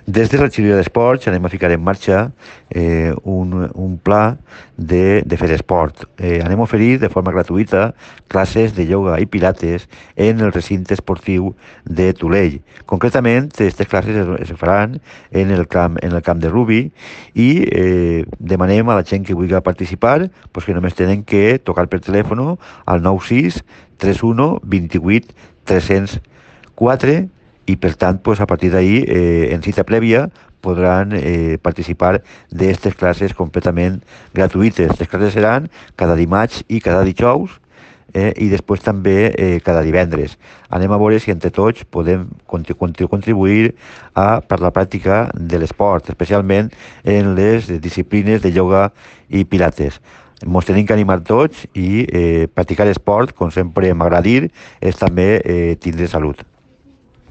Des de la regidoria d'Esports anem a ficar en marxa un pla de fer esport. Anem a oferir de forma gratuïta classes de ioga i pilates en el recinte esportiu de Tulell. Concretament, aquestes classes es faran en el camp de Rubi i demanem a la gent que vulgui participar pues, que només tenen que tocar per telèfon al 96 31 28 304 i per tant pues, a partir d'ahir en cita prèvia podran participar d'aquestes classes completament gratuïtes. Les classes seran cada dimarts i cada dijous i després també cada divendres. Anem a veure si entre tots podem contribuir per la pràctica de l'esport, especialment en les disciplines de ioga i pilates. Ens tenim que animar tots i practicar esport, com sempre m'agrada dir, és també tindre salut.